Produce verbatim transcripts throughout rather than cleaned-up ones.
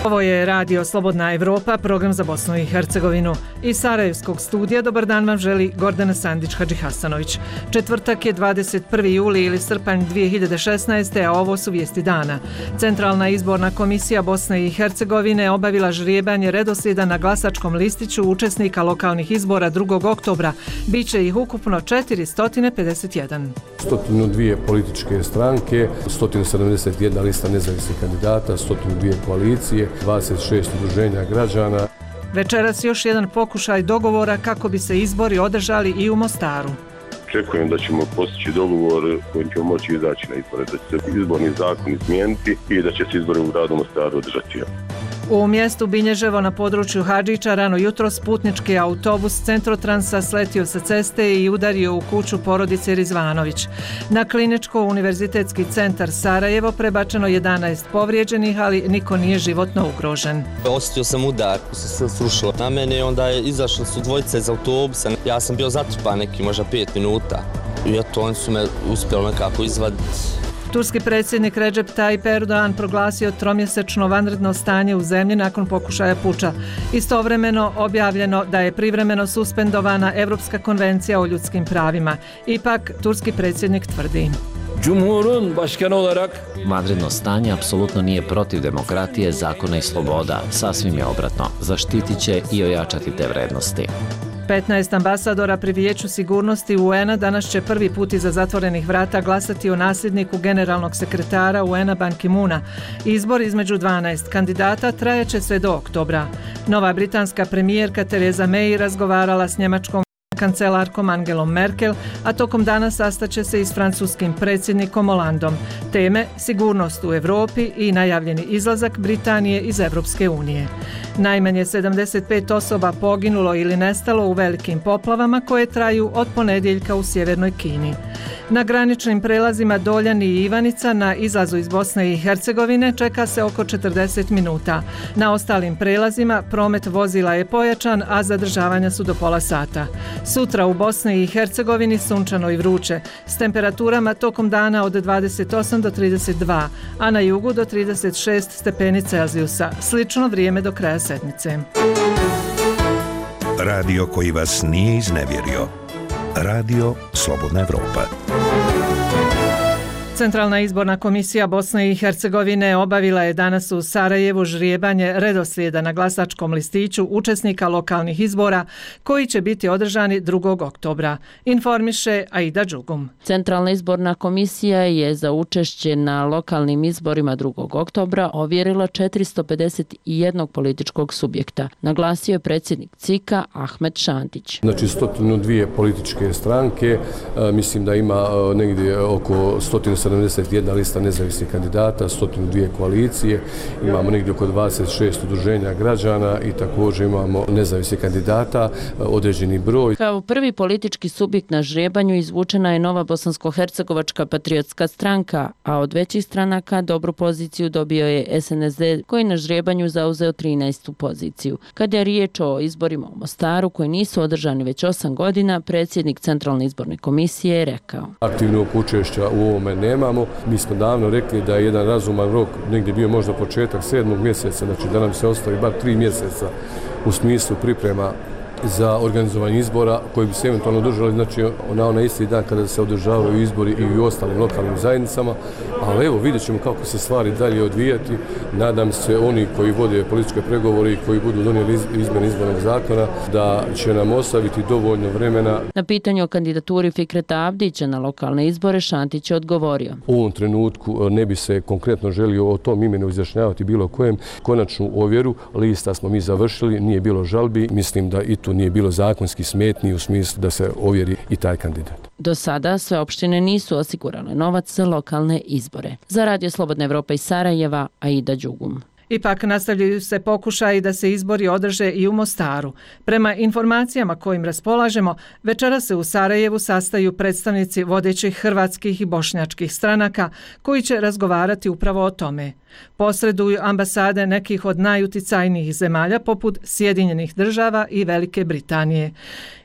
Ovo je Radio Slobodna Evropa, program za Bosnu i Hercegovinu. Iz Sarajevskog studija dobar dan vam želi Gordana Sandić-Hadžihasanović. Četvrtak je dvadeset prvi juli ili srpanj dvije hiljade šesnaeste. a ovo su vijesti dana. Centralna izborna komisija Bosne i Hercegovine obavila žrijebanje redoslijeda na glasačkom listiću učesnika lokalnih izbora drugog oktobra. Biće ih ukupno četiristo pedeset jedan. sto dvije političke stranke, sto sedamdeset jedna lista nezavisnih kandidata, sto dvije koalicije, dvadeset šest udruženja građana. Večeras još jedan pokušaj dogovora kako bi se izbori održali i u Mostaru. Očekujem da ćemo postići dogovor kojim ćemo moći izaći na izbore, da će se izborni zakon izmijeniti i da će se izbori u gradu Mostaru održati. U mjestu Binježevo na području Hadžića rano jutros putnički autobus Centrotransa sletio sa ceste i udario u kuću porodice Rizvanović. Na Kliničko-univerzitetski centar Sarajevo prebačeno jedanaest povrijeđenih, ali niko nije životno ugrožen. Osjetio sam udar, se sve srušilo na mene i onda je izašli su dvojice iz autobusa. Ja sam bio zatrpan neki možda pet minuta i eto oni su me uspjeli nekako izvaditi. Turski predsjednik Recep Tayyip Erdogan proglasio tromjesečno vanredno stanje u zemlji nakon pokušaja puča. Istovremeno objavljeno da je privremeno suspendovana Europska konvencija o ljudskim pravima. Ipak, turski predsjednik tvrdi: Cumhurun başkanı olarak vanredno stanje apsolutno nije protiv demokratije, zakona i sloboda. Sasvim je obratno. Zaštitit će i ojačati te vrednosti. petnaest ambasadora pri Vijeću sigurnosti U N-a danas će prvi put iza zatvorenih vrata glasati o nasljedniku generalnog sekretara U N-a Ban Ki-moona. Izbor između dvanaest kandidata trajaće sve do oktobra. Nova britanska premijerka Theresa May razgovarala s njemačkom kancelarkom Angelom Merkel, a tokom dana sastaće se i s francuskim predsjednikom Hollandom. Teme sigurnost u Europi i najavljeni izlazak Britanije iz Europske unije. Najmanje sedamdeset pet osoba poginulo ili nestalo u velikim poplavama koje traju od ponedjeljka u sjevernoj Kini. Na graničnim prelazima Doljani i Ivanica na izlazu iz Bosne i Hercegovine čeka se oko četrdeset minuta. Na ostalim prelazima promet vozila je pojačan, a zadržavanja su do pola sata. Sutra u Bosni i Hercegovini sunčano i vruće, s temperaturama tokom dana od dvadeset osam do trideset dva, a na jugu do trideset šest stepeni Celzijusa. Slično vrijeme do kraja sedmice. Radio koji vas nije iznevjerio. Radio Slobodna Evropa. Centralna izborna komisija Bosne i Hercegovine obavila je danas u Sarajevu žrijebanje redoslijeda na glasačkom listiću učesnika lokalnih izbora koji će biti održani drugog oktobra. Informiše Aida Đugum. Centralna izborna komisija je za učešće na lokalnim izborima drugog oktobra ovjerila četiristo pedeset jedan političkog subjekta. Naglasio je predsjednik C I K-a Ahmed Šantić. Znači sto dvije političke stranke, mislim da ima negdje oko sto sedamdeset jedna lista nezavisnih kandidata, sto dvije koalicije, imamo negdje oko dvadeset šest udruženja građana i također imamo nezavisnih kandidata, određeni broj. Kao prvi politički subjekt na žrebanju izvučena je Nova bosansko-hercegovačka patriotska stranka, a od većih stranaka dobru poziciju dobio je S N S D koji na žrebanju zauzeo trinaestu poziciju. Kada je riječ o izborima u Mostaru koji nisu održani već osam godina, predsjednik Centralne izborne komisije je rekao: aktivnog učešća u ovome nemamo. Mi smo davno rekli da je jedan razuman rok negdje bio možda početak sedmog mjeseca, znači da nam se ostavi bar tri mjeseca u smislu priprema za organizovanje izbora koji bi se eventualno održali znači na onaj isti dan kada se održavaju izbori i u ostalim lokalnim zajednicama, ali evo vidjet ćemo kako se stvari dalje odvijati. Nadam se oni koji vode političke pregovore i koji budu donijeli izmjene izbornog zakona da će nam ostaviti dovoljno vremena. Na pitanje o kandidaturi Fikreta Abdića na lokalne izbore Šantić je odgovorio: u ovom trenutku ne bi se konkretno želio o tom imenu izjašnjavati bilo kojem. Konačnu ovjeru lista smo mi završili, nije bilo žalbi, mislim da i tu nije bilo zakonski smetnji u smislu da se ovjeri i taj kandidat. Do sada sve opštine nisu osigurale novac za lokalne izbore. Za Radio Slobodna Evropa iz Sarajeva, Aida Đugum. Ipak nastavljaju se pokušaji da se izbori održe i u Mostaru. Prema informacijama kojim raspolažemo, večera se u Sarajevu sastaju predstavnici vodećih hrvatskih i bošnjačkih stranaka koji će razgovarati upravo o tome. Posreduju ambasade nekih od najuticajnijih zemalja poput Sjedinjenih država i Velike Britanije.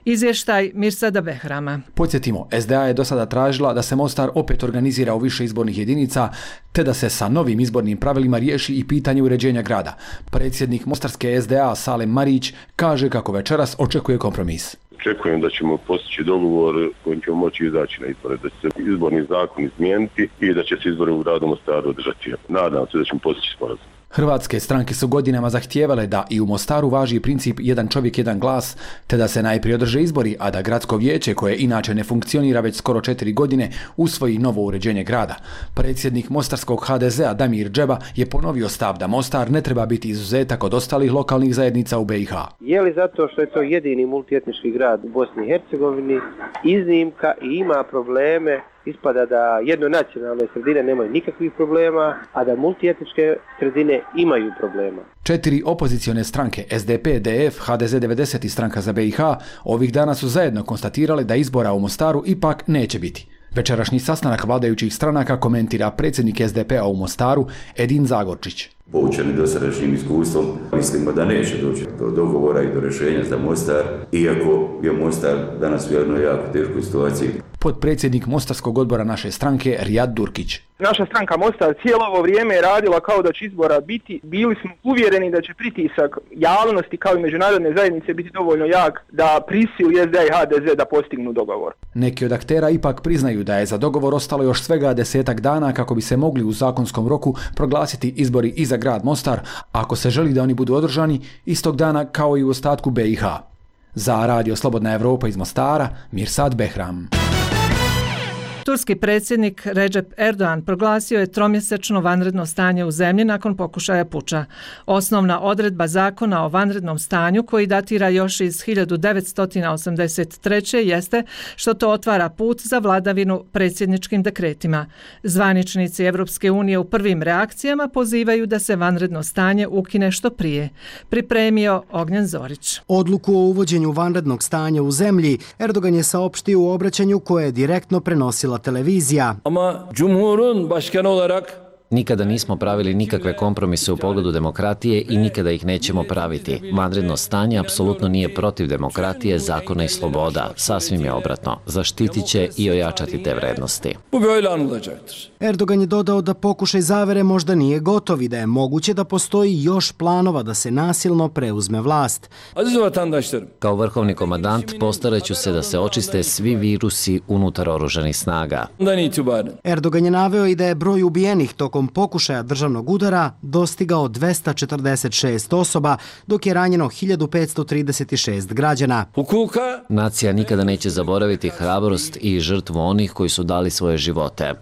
Izvještaj Mirsada Behrama. Podsjetimo, S D A je do sada tražila da se Mostar opet organizira u više izbornih jedinica, te da se sa novim izbornim pravilima riješi i pitanje uređenja grada. Predsjednik Mostarske S D A Salem Marić kaže kako večeras očekuje kompromis. Očekujem da ćemo postići dogovor kojim ćemo moći izaći na izbore, da će se izborni zakon izmijeniti i da će se izbori u gradu Mostaru održati. Nadam se da ćemo postići sporazum. Hrvatske stranke su godinama zahtijevale da i u Mostaru važi princip jedan čovjek, jedan glas, te da se najprije održe izbori, a da gradsko vijeće, koje inače ne funkcionira već skoro četiri godine, usvoji novo uređenje grada. Predsjednik mostarskog H D Z-a Damir Džeba je ponovio stav da Mostar ne treba biti izuzetak od ostalih lokalnih zajednica u B i H. Je li zato što je to jedini multietnički grad u Bosni i Hercegovini iznimka i ima probleme? Ispada da jednonacionalne sredine nemaju nikakvih problema, a da multietničke sredine imaju problema. Četiri opozicione stranke S D P, D F, H D Z devedeset i Stranka za B i H ovih dana su zajedno konstatirali da izbora u Mostaru ipak neće biti. Večerašnji sastanak vladajućih stranaka komentira predsjednik S D P-a u Mostaru Edin Zagorčić. Poučeni dosadašnjim iskustvom, mislimo da neće doći do dogovora i do rješenja za Mostar, iako je Mostar danas u jednoj jako teškoj situaciji. Potpredsjednik Mostarskog odbora naše stranke Rijad Durkić. Naša stranka Mostar cijelo ovo vrijeme je radila kao da će izbora biti. Bili smo uvjereni da će pritisak javnosti kao i međunarodne zajednice biti dovoljno jak da prisili S D A i H D Z da postignu dogovor. Neki od aktera ipak priznaju da je za dogovor ostalo još svega desetak dana kako bi se mogli u zakonskom roku proglasiti izbori i za grad Mostar, ako se želi da oni budu održani istog dana kao i u ostatku B i H. Za Radio Slobodna Evropa iz Mostara, Mirsad Behram. Turski predsjednik Recep Erdogan proglasio je tromjesečno vanredno stanje u zemlji nakon pokušaja puča. Osnovna odredba zakona o vanrednom stanju, koji datira još iz hiljadu devetsto osamdeset treće jeste što to otvara put za vladavinu predsjedničkim dekretima. Zvaničnici Evropske unije u prvim reakcijama pozivaju da se vanredno stanje ukine što prije. Pripremio Ognjen Zorić. Odluku o uvođenju vanrednog stanja u zemlji Erdogan je saopštio u obraćanju koje je direktno prenosila televizija. Ama Cumhur'un başkanı olarak Nikada nismo pravili nikakve kompromise u pogledu demokratije i nikada ih nećemo praviti. Vanredno stanje apsolutno nije protiv demokratije, zakona i sloboda. Sasvim je obratno. Zaštitit će i ojačati te vrednosti. Bu böyle anılacaktır. Erdogan je dodao da pokušaj zavere možda nije gotov i da je moguće da postoji još planova da se nasilno preuzme vlast. Aziz vatandaşlarım. Kao vrhovni komandant postaraću se da se očiste svi virusi unutar oružanih snaga. Erdogan je naveo i da je broj ubijenih tokom pokušaja državnog udara dostigao dvesta četrdeset šest osoba, dok je ranjeno hiljadu petsto trideset šest građana. Nacija nikada neće zaboraviti hrabrost i žrtvu onih koji su dali svoje živote.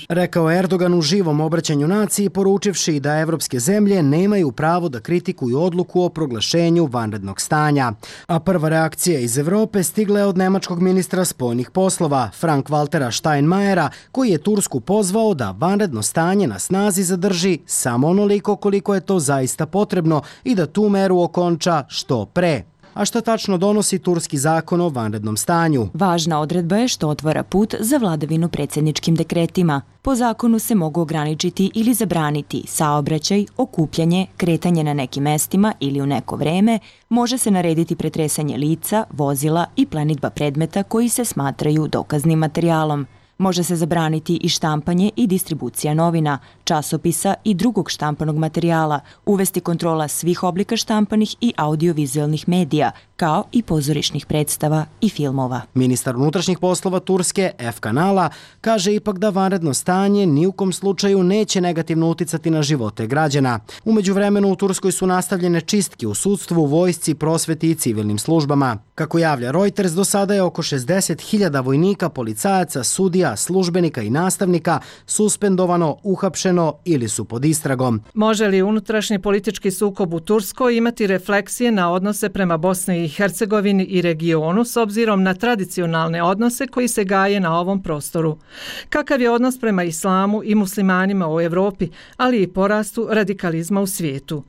Rekao Erdogan u živom obraćanju naciji, poručivši da evropske zemlje nemaju pravo da kritikuju odluku o proglašenju vanrednog stanja. A prva reakcija iz Evrope stigla je od nemačkog ministra spoljnih poslova, Frank-Waltera Steinmeiera, koji je Tursku pozvao da vanredno stanje na snazi zadrži samo onoliko koliko je to zaista potrebno i da tu meru okonča što pre. A šta tačno donosi turski zakon o vanrednom stanju? Važna odredba je što otvara put za vladavinu predsjedničkim dekretima. Po zakonu se mogu ograničiti ili zabraniti saobraćaj, okupljanje, kretanje na nekim mestima ili u neko vreme, može se narediti pretresanje lica, vozila i plenidba predmeta koji se smatraju dokaznim materijalom. Može se zabraniti i štampanje i distribucija novina, časopisa i drugog štampanog materijala, uvesti kontrola svih oblika štampanih i audiovizualnih medija, kao i pozorišnih predstava i filmova. Ministar unutrašnjih poslova Turske, F. Kanala, kaže ipak da vanredno stanje ni u kom slučaju neće negativno uticati na živote građana. U međuvremenu u Turskoj su nastavljene čistke u sudstvu, vojsci, prosveti i civilnim službama. Kako javlja Reuters, do sada je oko šezdeset hiljada vojnika, policajaca, sudija, službenika i nastavnika suspendovano, uhapšeno ili su pod istragom. Može li unutrašnji politički sukob u Turskoj imati refleksije na odnose prema Bosni i Hercegovini i regionu s obzirom na tradicionalne odnose koji se gaje na ovom prostoru? Kakav je odnos prema islamu i muslimanima u Evropi, ali i porastu radikalizma u svijetu?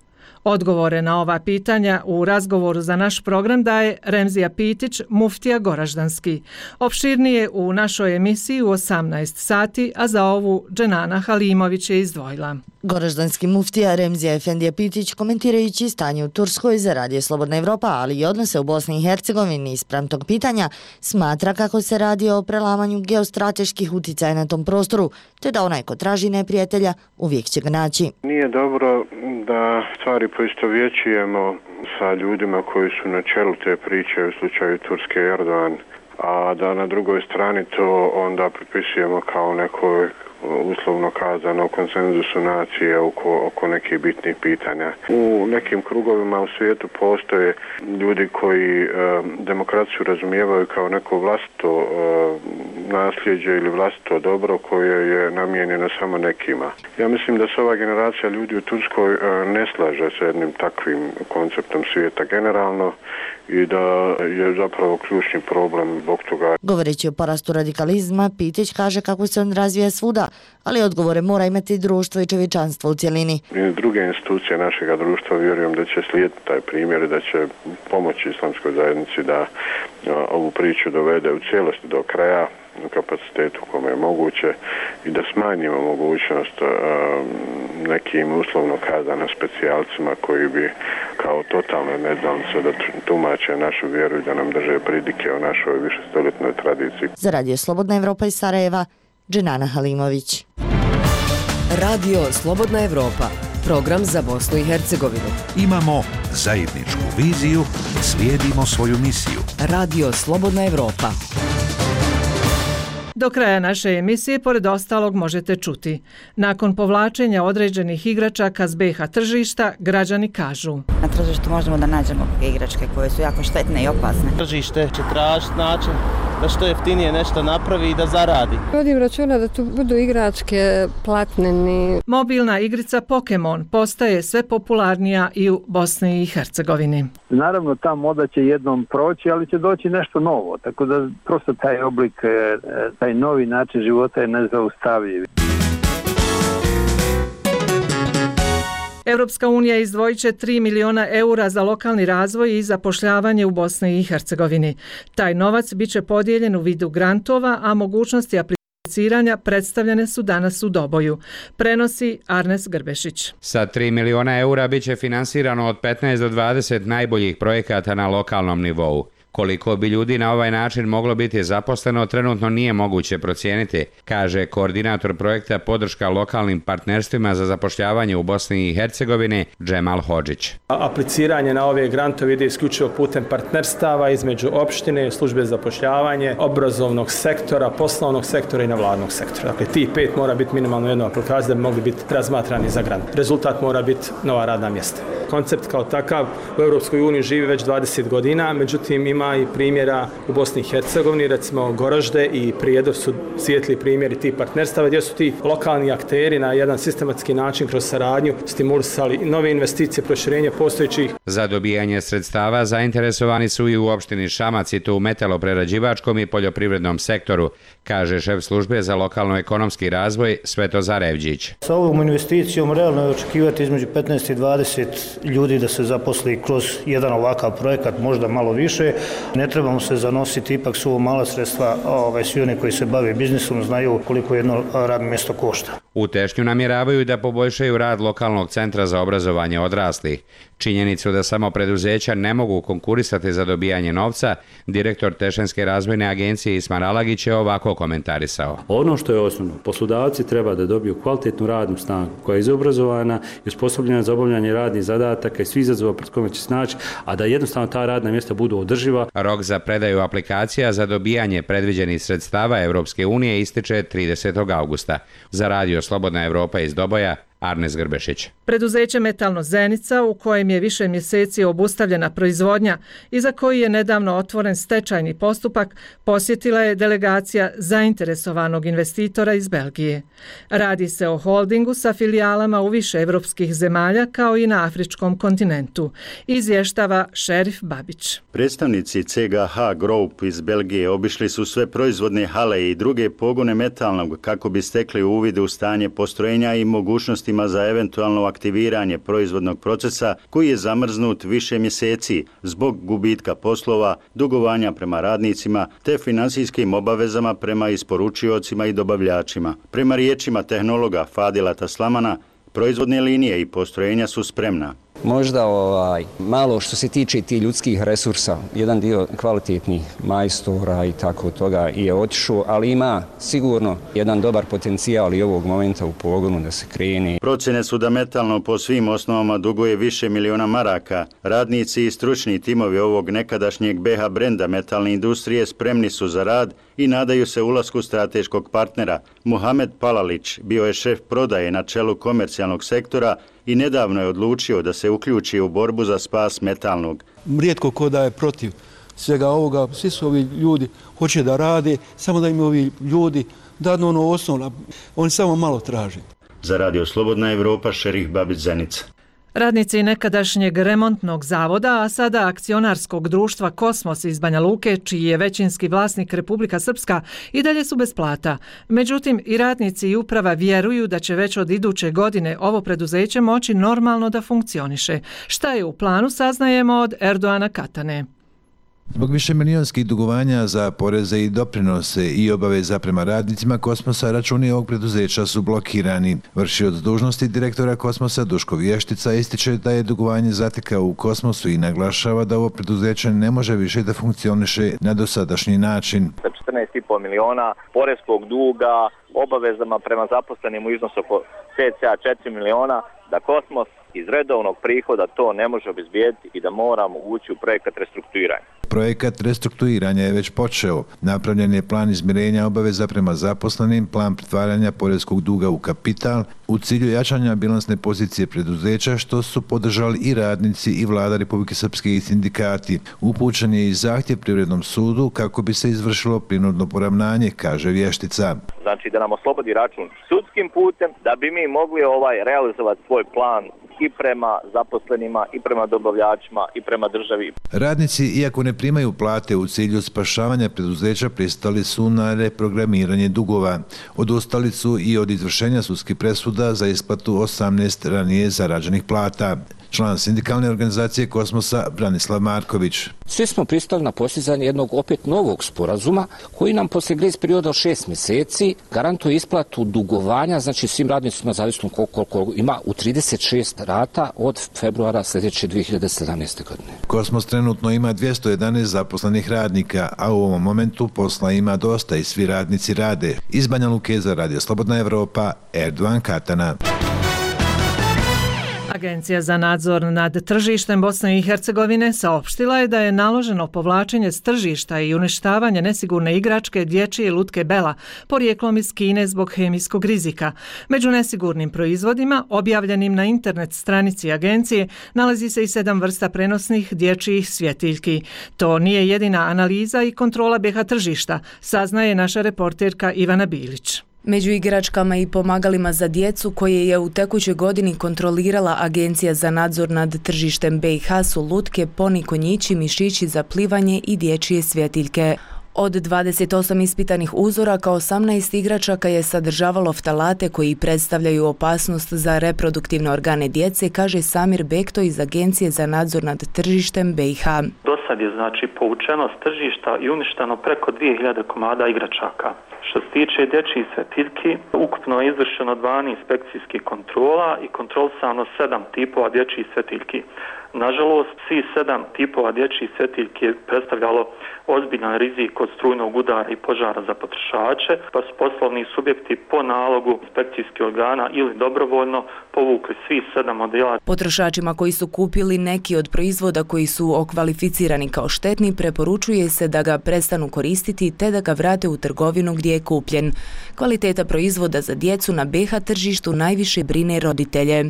Odgovore na ova pitanja u razgovoru za naš program daje Remzija Pitić, muftija Goraždanski. Opširnije u našoj emisiji u osamnaest sati, a za ovu Dženana Halimović je izdvojila. Goraždanski muftija Remzija Efendija Pitić, komentirajući stanje u Turskoj za Radio Slobodna Evropa, ali i odnose u Bosni i Hercegovini ispram tog pitanja, smatra kako se radi o prelamanju geostrateških uticaja na tom prostoru, te da onaj ko traži neprijatelja uvijek će ga naći. Nije dobro da stvari poistovjećujemo sa ljudima koji su na čelu te priče u slučaju Turske Erdogan, a da na drugoj strani to onda pripisujemo kao nekoj uslovno kazano konsenzusu nacije oko, oko nekih bitnih pitanja. U nekim krugovima u svijetu postoje ljudi koji e, demokraciju razumijevaju kao neko vlastito e, nasljeđe ili vlastito dobro koje je namijenjeno samo nekima. Ja mislim da se ova generacija ljudi u Turskoj e, ne slaže sa jednim takvim konceptom svijeta generalno i da je zapravo ključni problem zbog toga. Govoreći o porastu radikalizma, Pitić kaže kako se on razvija svuda, ali odgovore mora imati društvo i čovječanstvo u cjelini. I druge institucije našega društva vjerujem da će slijediti taj primjer i da će pomoći islamskoj zajednici da ovu priču dovede u cijelosti do kraja u kapacitetu kome je moguće i da smanjimo mogućnost uh, nekim uslovno kazano specijalcima koji bi kao totalne neznalice da tumače našu vjeru i da nam drže pridike o našoj višestoljetnoj tradiciji. Za Radio Slobodna Evropa iz Sarajeva, Dženana Halimović. Radio Slobodna Evropa, program za Bosnu i Hercegovinu. Imamo zajedničku viziju, slijedimo svoju misiju. Radio Slobodna Evropa. Do kraja naše emisije, pored ostalog, možete čuti. Nakon povlačenja određenih igračaka s be ha tržišta, građani kažu: na tržištu možemo da nađemo igračke koje su jako štetne i opasne. Tržište će tražiti način da što jeftinije nešto napravi i da zaradi. Vodim računa da tu budu igračke platneni. Mobilna igrica Pokemon postaje sve popularnija i u Bosni i Hercegovini. Naravno, ta moda će jednom proći, ali će doći nešto novo, tako da prosto taj oblik, taj novi način života je nezaustavljiv. Europska unija izdvojit će tri miliona eura za lokalni razvoj i zapošljavanje u Bosni i Hercegovini. Taj novac bit će podijeljen u vidu grantova, a mogućnosti apliciranja predstavljene su danas u Doboju. Prenosi Arnes Grbešić. Sa tri miliona eura bit će finansirano od petnaest do dvadeset najboljih projekata na lokalnom nivou. Koliko bi ljudi na ovaj način moglo biti zaposleno, trenutno nije moguće procijeniti, kaže koordinator projekta podrška lokalnim partnerstvima za zapošljavanje u Bosni i Hercegovini Džemal Hodžić. Apliciranje na ove grantove ide isključivo putem partnerstava između opštine, službe za zapošljavanje, obrazovnog sektora, poslovnog sektora i nevladnog sektora. Dakle, ti pet mora biti minimalno jedno aplikacija da bi mogli biti razmatrani za grant. Rezultat mora biti nova radna mjesta. Koncept kao takav u Europskoj uniji živi već dvadeset godina, međutim ima i primjera u Bosni i Hercegovini, recimo Goražde i Prijedor su svijetli primjeri tih partnerstava gdje su ti lokalni akteri na jedan sistematski način kroz saradnju stimulisali nove investicije, proširenje postojećih. Za dobijanje sredstava zainteresovani su i u opštini Šamac i to u metaloprerađivačkom i poljoprivrednom sektoru, kaže šef službe za lokalno-ekonomski razvoj Svetozar Evđić. Sa ovom investicijom realno je očekivati između petnaest i dvadeset ljudi da se zaposli kroz jedan ovakav projekat, možda malo više. Ne trebamo se zanositi, ipak su ovo mala sredstva, ove, svi oni koji se bave biznisom znaju koliko jedno radno mjesto košta. U Tešnju namjeravaju da poboljšaju rad lokalnog centra za obrazovanje odraslih. Činjenicu da samo preduzeća ne mogu konkurisati za dobijanje novca, direktor Tešenske razvojne agencije Ismar Alagić je ovako komentarisao. Ono što je osnovno, poslodavci treba da dobiju kvalitetnu radnu snagu koja je izobrazovana i osposobljena za obavljanje radnih zadataka i svi izazova pred kojima će snaći, a da jednostavno ta radna mjesta budu održiva. Rok za predaju aplikacija za dobijanje predviđenih sredstava Europske unije ističe tridesetog augusta. Za Radio Slobodna Evropa iz Doboja, Arnes Grbešić. Preduzeće Metalno Zenica, u kojem je više mjeseci obustavljena proizvodnja i za koji je nedavno otvoren stečajni postupak, posjetila je delegacija zainteresovanog investitora iz Belgije. Radi se o holdingu sa filijalama u više evropskih zemalja kao i na afričkom kontinentu, izvještava Šerif Babić. Predstavnici ce ge ha Group iz Belgije obišli su sve proizvodne hale i druge pogone metalnog kako bi stekli uvid u stanje postrojenja i mogućnosti za eventualno aktiviranje proizvodnog procesa koji je zamrznut više mjeseci zbog gubitka poslova, dugovanja prema radnicima te finansijskim obavezama prema isporučiocima i dobavljačima. Prema riječima tehnologa Fadila Taslamana, Proizvodne linije i postrojenja su spremna. Možda ovaj, malo što se tiče ti ljudskih resursa, jedan dio kvalitetnih majstora i tako toga je otišao, ali ima sigurno jedan dobar potencijal i ovog momenta u pogonu da se krene. Procjene su da metalno po svim osnovama duguje više miliona maraka. Radnici i stručni timovi ovog nekadašnjeg B H brenda metalne industrije spremni su za rad i nadaju se ulasku strateškog partnera. Muhamed Palalić bio je šef prodaje na čelu komercijalnog sektora i nedavno je odlučio da se uključi u borbu za spas metalnog. Rijetko ko da je protiv svega ovoga, svi su ovi ljudi hoće da rade, samo da im ovi ljudi dadnu ono osnovno, oni samo malo traže. Za Radio Slobodna Evropa, Šerih Babić, Zenica. Radnici nekadašnjeg remontnog zavoda, a sada akcionarskog društva Kosmos iz Banja Luke, čiji je većinski vlasnik Republika Srpska, i dalje su bez plata. Međutim, i radnici i uprava vjeruju da će već od iduće godine ovo preduzeće moći normalno da funkcioniše. Šta je u planu, saznajemo od Erdoana Katane. Zbog višemilijonskih dugovanja za poreze i doprinose i obaveza prema radnicima Kosmosa, računi ovog preduzeća su blokirani. Vršioc dužnosti direktora Kosmosa Duško Vještica ističe da je dugovanje zatekao u Kosmosu i naglašava da ovo preduzeće ne može više da funkcioniše na dosadašnji način. Sa četrnaest i pol miliona poreskog duga, obavezama prema zaposlenim u iznosu oko pet zarez četiri miliona, da Kosmos iz redovnog prihoda to ne može obezbijediti i da moramo ući u projekat restrukturiranja. Projekat restrukturiranja je već počeo. Napravljen je plan izmirenja obaveza prema zaposlenim, plan pretvaranja poreskog duga u kapital u cilju jačanja bilansne pozicije preduzeća, što su podržali i radnici i vlada Republike Srpske i sindikati. Upućen je i zahtjev Privrednom sudu kako bi se izvršilo prinudno poravnanje, kaže Vještica. Znači da nam oslobodi račun sudskim putem da bi mi mogli ovaj realizovati svoj plan i prema zaposlenima, i prema dobavljačima, i prema državi. Radnici, iako ne primaju plate u cilju spašavanja preduzeća, pristali su na reprogramiranje dugova. Odustali su i od izvršenja sudskih presuda za isplatu osamnaest ranije zarađenih plata. Član sindikalne organizacije Kosmosa Branislav Marković. Svi smo pristali na postizanje jednog opet novog sporazuma koji nam poslije grejs perioda od šest mjeseci garantuje isplatu dugovanja, znači svim radnicima zavisno koliko, koliko ima u trideset šest rata od februara sljedeće dvije hiljade sedamnaeste. godine. Kosmos trenutno ima dvjesto jedanaest zaposlenih radnika, a u ovom momentu posla ima dosta i svi radnici rade. Iz Banja Luke za Radio Slobodna Evropa, Erdoan Katana. Agencija za nadzor nad tržištem Bosne i Hercegovine saopštila je da je naloženo povlačenje s tržišta i uništavanje nesigurne igračke dječje lutke Bela, porijeklom iz Kine zbog hemijskog rizika. Među nesigurnim proizvodima, objavljenim na internet stranici agencije, nalazi se i sedam vrsta prenosnih dječjih svjetiljki. To nije jedina analiza i kontrola B H tržišta, saznaje naša reporterka Ivana Bilić. Među igračkama i pomagalima za djecu koje je u tekućoj godini kontrolirala Agencija za nadzor nad tržištem B i H su lutke, poni, konjići, mišići za plivanje i dječje svjetiljke. Od dvadeset osam ispitanih uzoraka, osamnaest igračaka je sadržavalo ftalate koji predstavljaju opasnost za reproduktivne organe djece, kaže Samir Bekto iz Agencije za nadzor nad tržištem B i H. Do sad je znači povučeno s tržišta i uništeno preko dvije hiljade komada igračaka. Što se tiče dječjih svjetiljki, ukupno je izvršeno dvanaest inspekcijskih kontrola i kontrolisano sedam tipova dječjih svjetiljki. Nažalost, svi sedam tipova dječjih svjetiljki je predstavljalo ozbiljan rizik od strujnog udara i požara za potrošače, pa su poslovni subjekti po nalogu inspekcijskih organa ili dobrovoljno povukli svi sedam modela. Potrošačima koji su kupili neki od proizvoda koji su okvalificirani kao štetni, preporučuje se da ga prestanu koristiti te da ga vrate u trgovinu gdje je kupljen. Kvaliteta proizvoda za djecu na B H tržištu najviše brine roditelje.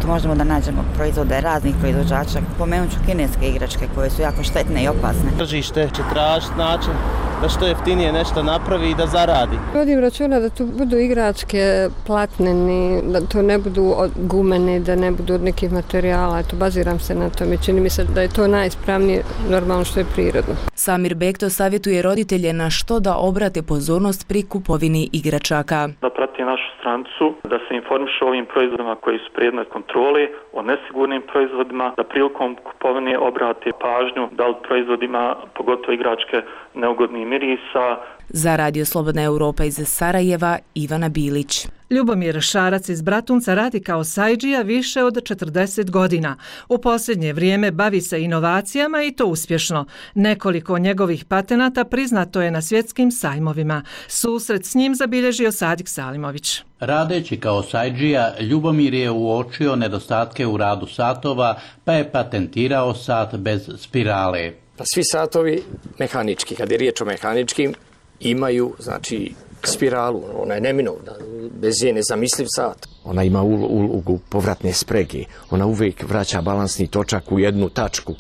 Možemo da nađemo proizvode raznih proizvođača. Pomenut ću kineske igračke koje su jako štetne i opasne. Tržište će tražiti način da što jeftinije nešto napravi i da zaradi. Vodim računa da tu budu igračke platneni, da to ne budu od gumeni, da ne budu od nekih materijala. Eto, baziram se na tome. Čini mi se da je to najispravnije, normalno što je prirodno. Samir Bekto savjetuje roditelje na što da obrate pozornost pri kupovini igračaka. Da prati našu stranicu, da se informiše o ovim proizvodima koji su predmet kontrole, o nesigurnim proizvodima, da prilikom kupovine obrate pažnju da li proizvodima, pogotovo igračke, neugodnih mirisa. Za Radio Slobodna Evropa iz Sarajeva, Ivana Bilić. Ljubomir Šarac iz Bratunca radi kao sajdžija više od četrdeset godina. U posljednje vrijeme bavi se inovacijama i to uspješno. Nekoliko njegovih patenata priznato je na svjetskim sajmovima. Susret s njim zabilježio Sadik Salimović. Radeći kao sajdžija, Ljubomir je uočio nedostatke u radu satova, pa je patentirao sat bez spirale. Pa svi satovi mehanički, kad je riječ o mehaničkim, imaju, znači, spiralu, ona je neminovna, bez je nezamisliv sat. Ona ima ulogu povratne sprege, ona uvijek vraća balansni točak u jednu tačku,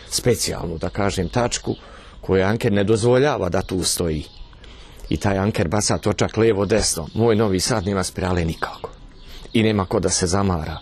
specijalnu, da kažem, tačku, koju anker ne dozvoljava da tu stoji. I taj anker baca točak lijevo-desno. Moj novi sat nema spirale nikako. I nema ko da se zamara.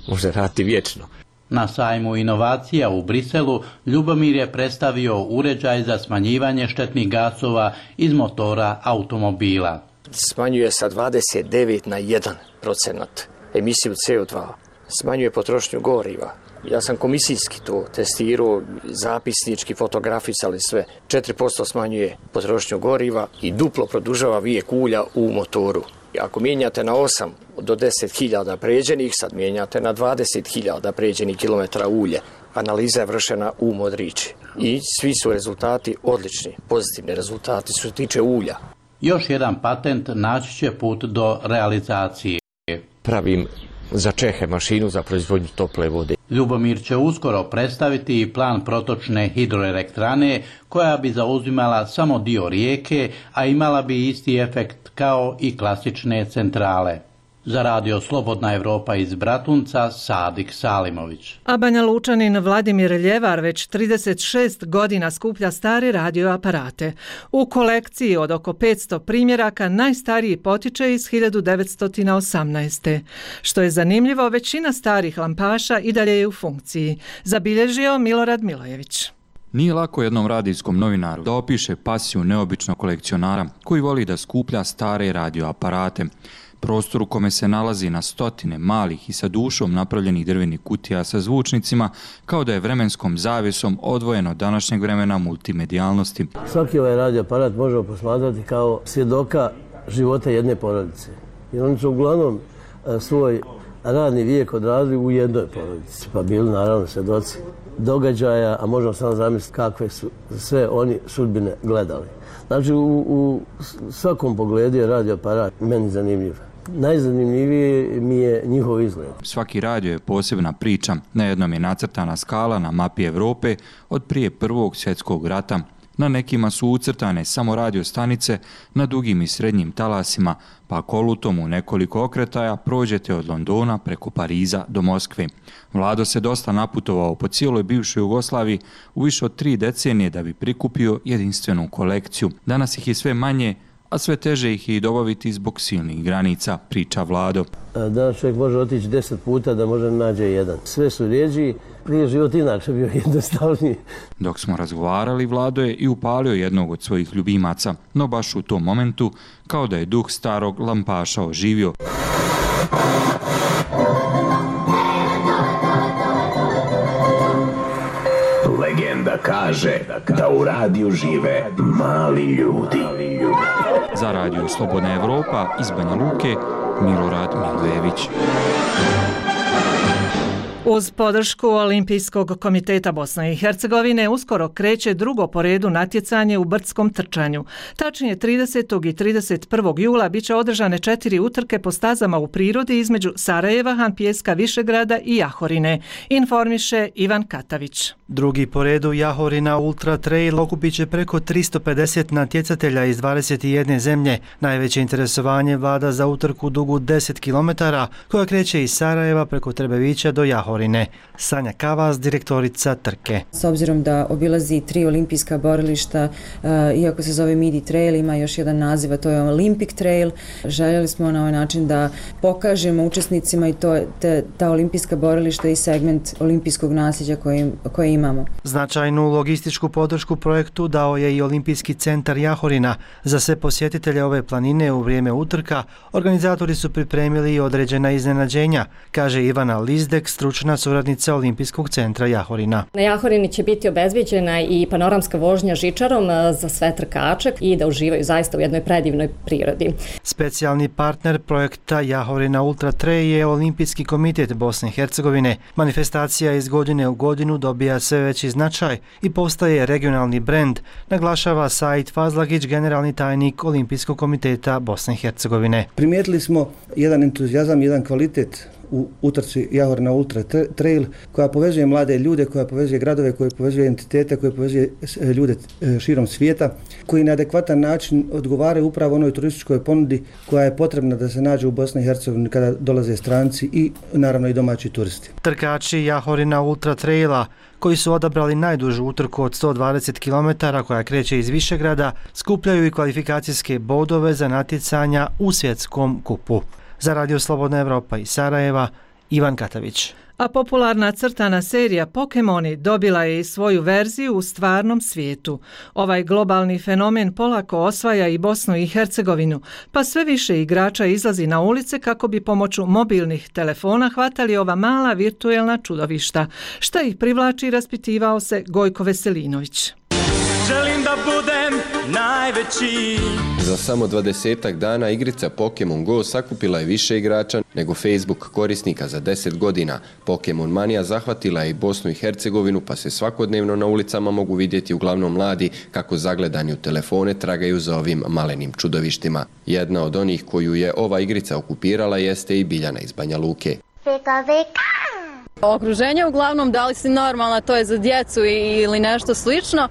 Može raditi vječno. Na sajmu inovacija u Briselu Ljubomir je predstavio uređaj za smanjivanje štetnih gasova iz motora automobila. Smanjuje sa dvadeset devet na jedan procenat emisiju C O dva. Smanjuje potrošnju goriva. Ja sam komisijski to testirao, zapisnički, fotografisali sve. četiri posto smanjuje potrošnju goriva i duplo produžava vijek ulja u motoru. Ako mijenjate na osam do deset hiljada pređenih, sad mijenjate na dvadeset hiljada pređenih kilometara ulje. Analiza je vršena u Modrići i svi su rezultati odlični, pozitivni rezultati što se tiče ulja. Još jedan patent naći će put do realizacije. Pravim za Čehe mašinu za proizvodnju tople vode. Ljubomir će uskoro predstaviti i plan protočne hidroelektrane koja bi zauzimala samo dio rijeke, a imala bi isti efekt kao i klasične centrale. Za radio Slobodna Evropa iz Bratunca, Sadik Salimović. A Banja Lučanin Vladimir Ljevar već trideset šest godina skuplja stare radioaparate. U kolekciji od oko petsto primjeraka najstariji potiče iz hiljadu devetsto osamnaeste. Što je zanimljivo, većina starih lampaša i dalje je u funkciji. Zabilježio Milorad Milojević. Nije lako jednom radijskom novinaru da opiše pasiju neobičnog kolekcionara koji voli da skuplja stare radioaparate. Prostor u kome se nalazi na stotine malih i sa dušom napravljenih drvenih kutija sa zvučnicima, kao da je vremenskom zavjesom odvojen od današnjeg vremena multimedijalnosti. Svaki ovaj radioaparat možemo posmatrati kao svjedoka života jedne porodice. Jer oni su uglavnom svoj radni vijek odradili u jednoj porodici, pa bili naravno svjedoci događaja, a možemo samo zamisliti kakve su sve oni sudbine gledali. Znači, u, u svakom pogledu je radioaparat meni zanimljiv. Najzanimljivije mi je njihov izgled. Svaki radio je posebna priča. Na jednom je nacrtana skala na mapi Evrope od prije Prvog svjetskog rata. Na nekima su ucrtane samo radio stanice na dugim i srednjim talasima, pa kolutom u nekoliko okretaja prođete od Londona preko Pariza do Moskve. Vlado se dosta naputovao po cijeloj bivšoj Jugoslaviji u više od tri decenije da bi prikupio jedinstvenu kolekciju. Danas ih je sve manje, a sve teže ih je i dobaviti zbog silnih granica, priča Vlado. Danas čovjek može otići deset puta da može nađe jedan. Sve su rijeđi, prije život inače bio jednostavniji. Dok smo razgovarali, Vlado je i upalio jednog od svojih ljubimaca, no baš u tom momentu, kao da je duh starog lampaša oživio. Legenda kaže da u radiju žive mali ljudi. Za radio Slobodna Evropa iz Banja Luke, Milorad Milojević. Uz podršku Olimpijskog komiteta Bosne i Hercegovine uskoro kreće drugo po redu natjecanje u brdskom trčanju. Tačnije tridesetog i trideset prvog jula biće održane četiri utrke po stazama u prirodi između Sarajeva, Hanpijeska, Višegrada i Jahorine, informiše Ivan Katavić. Drugi po redu Jahorina Ultra Trail okupit će preko tristo pedeset natjecatelja iz dvadeset jedne zemlje. Najveće interesovanje vlada za utrku dugu deset kilometara koja kreće iz Sarajeva preko Trebevića do Jahorine. Sanja Kavas, direktorica trke. S obzirom da obilazi tri olimpijska borilišta, iako se zove Midi Trail, ima još jedan naziv, a to je Olympic Trail. Željeli smo na ovaj način da pokažemo učesnicima i to, te, ta olimpijska borilišta i segment olimpijskog nasljeđa koje, koje ima imamo. Značajnu logističku podršku projektu dao je i Olimpijski centar Jahorina. Za sve posjetitelje ove planine u vrijeme utrka organizatori su pripremili i određena iznenađenja, kaže Ivana Lizdek, stručna suradnica Olimpijskog centra Jahorina. Na Jahorini će biti obezbijeđena i panoramska vožnja žičarom za sve trkače i da uživaju zaista u jednoj predivnoj prirodi. Specijalni partner projekta Jahorina Ultra Trail je Olimpijski komitet Bosne i Hercegovine. Manifestacija iz godine u godinu dobija sve veći značaj i postaje regionalni brend, naglašava Said Fazlagić, generalni tajnik Olimpijskog komiteta Bosne i Hercegovine. Primijetili smo jedan entuzijazam, jedan kvalitet u utrci Jahorina Ultra Trail koja povezuje mlade ljude, koja povezuje gradove, koja povezuje entitete, koja povezuje ljude širom svijeta, koji na adekvatan način odgovaraju upravo onoj turističkoj ponudi koja je potrebna da se nađe u Bosni i Hercegovini kada dolaze stranci i naravno i domaći turisti. Trkači Jahorina Ultra Traila koji su odabrali najdužu utrku od sto dvadeset kilometara koja kreće iz Višegrada, skupljaju i kvalifikacijske bodove za natjecanja u svjetskom kupu. Za Radio Slobodna Evropa iz Sarajeva, Ivan Katavić. A popularna crtana serija Pokemoni dobila je i svoju verziju u stvarnom svijetu. Ovaj globalni fenomen polako osvaja i Bosnu i Hercegovinu, pa sve više igrača izlazi na ulice kako bi pomoću mobilnih telefona hvatali ova mala virtuelna čudovišta. Šta ih privlači, raspitivao se Gojko Veselinović. Želim da budem najveći. Za samo dvadesetak dana igrica Pokemon Go sakupila je više igrača nego Facebook korisnika za deset godina. Pokemon manija zahvatila je i Bosnu i Hercegovinu, pa se svakodnevno na ulicama mogu vidjeti uglavnom mladi kako zagledani u telefone tragaju za ovim malenim čudovištima. Jedna od onih koju je ova igrica okupirala jeste i Biljana iz Banja Luke. Veka, veka. Okruženje uglavnom, da li si normalna, to je za djecu ili nešto slično.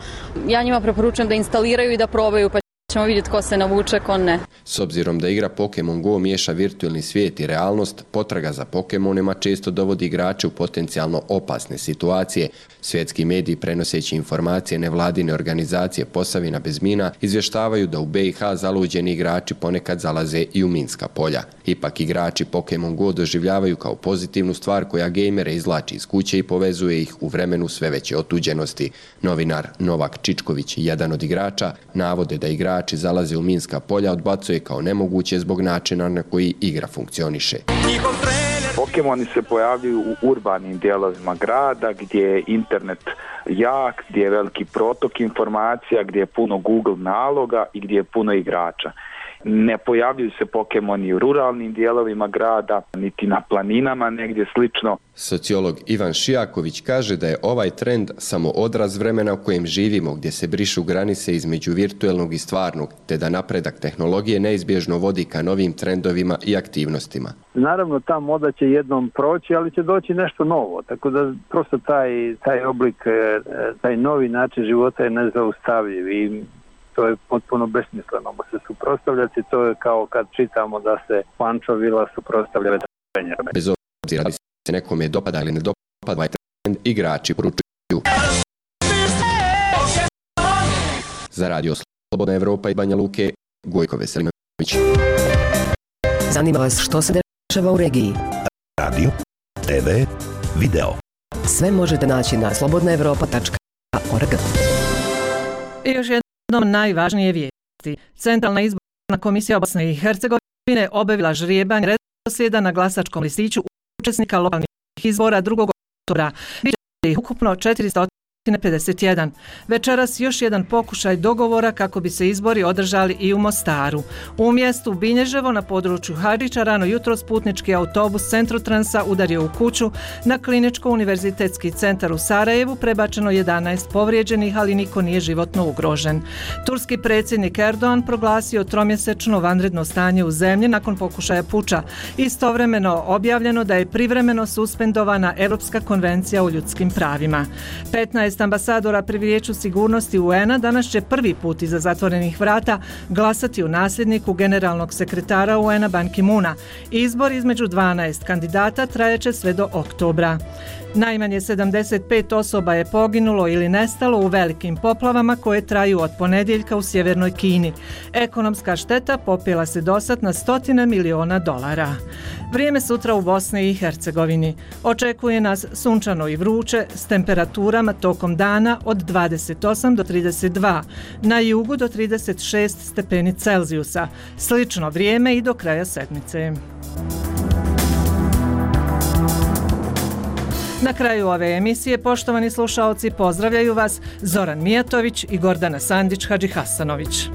Ja njima preporučujem da instaliraju i da probaju, pa ćemo vidjeti ko se navuče, ko ne. S obzirom da igra Pokemon Go miješa virtualni svijet i realnost, potraga za Pokemonima često dovodi igrače u potencijalno opasne situacije. Svjetski mediji, prenoseći informacije nevladine organizacije Posavina bez mina, izvještavaju da u B i H zaluđeni igrači ponekad zalaze i u minska polja. Ipak igrači Pokemon Go doživljavaju kao pozitivnu stvar koja gejmere izvlači iz kuće i povezuje ih u vremenu sve veće otuđenosti. Novinar Novak Čičković, jedan od igrača, navode da igrači zalaze u minska polja, odbacuje kao nemoguće zbog načina na koji igra funkcioniše. Pokemoni se pojavljuju u urbanim dijelovima grada gdje je internet jak, gdje je veliki protok informacija, gdje je puno Google naloga i gdje je puno igrača. Ne pojavljuju se Pokemoni u ruralnim dijelovima grada, niti na planinama, negdje slično. Sociolog Ivan Šijaković kaže da je ovaj trend samo odraz vremena u kojem živimo, gdje se brišu granice između virtuelnog i stvarnog, te da napredak tehnologije neizbježno vodi ka novim trendovima i aktivnostima. Naravno, ta moda će jednom proći, ali će doći nešto novo, tako da prosto taj, taj oblik, taj novi način života je nezaustavljiv i to je potpuno besmisleno se suprotstavljati. To je kao kad čitamo da se pančovila suprotstavlja vetrvenja. Bez obzira da se nekome dopada ili ne dopada ovaj trend, igrači poručuju. Za Radio Slobodna Evropa i Banja Luke, Gojko Veselinović. Zanima vas što se dešava u regiji? Radio, te ve, video. Sve možete naći na slobodna evropa tačka org. I još jednom najvažnije vijesti. Centralna izborna komisija Bosne i Hercegovine obavila žrijebanje redoslijeda na glasačkom listiću učesnika lokalnih izbora drugog oktobra. Biće ih ukupno četiristo pedeset jedan. Večeras još jedan pokušaj dogovora kako bi se izbori održali i u Mostaru. U mjestu Binježevo na području Hadžića rano jutros putnički autobus Centrotransa udario u kuću. Na Kliničko-univerzitetski centar u Sarajevu prebačeno jedanaest povrijeđenih, ali niko nije životno ugrožen. Turski predsjednik Erdogan proglasio tromjesečno vanredno stanje u zemlji nakon pokušaja puča. Istovremeno objavljeno da je privremeno suspendovana Europska konvencija o ljudskim pravima. petnaest ambasadora pri Vijeću sigurnosti U N-a danas će prvi put iza zatvorenih vrata glasati u nasljedniku generalnog sekretara U N-a Ban Ki-moona. Izbor između dvanaest kandidata trajeće sve do oktobra. Najmanje sedamdeset pet osoba je poginulo ili nestalo u velikim poplavama koje traju od ponedjeljka u sjevernoj Kini. Ekonomska šteta popela se dosad na stotine miliona dolara. Vrijeme sutra u Bosni i Hercegovini. Očekuje nas sunčano i vruće s temperaturama tokom tokom dana od dvadeset osam do trideset dva, na jugu do trideset šest stepeni Celzijusa. Slično vrijeme i do kraja sedmice. Na kraju ove emisije, poštovani slušaoci, pozdravljaju vas Zoran Mijatović i Gordana Sandić Hadžihasanović.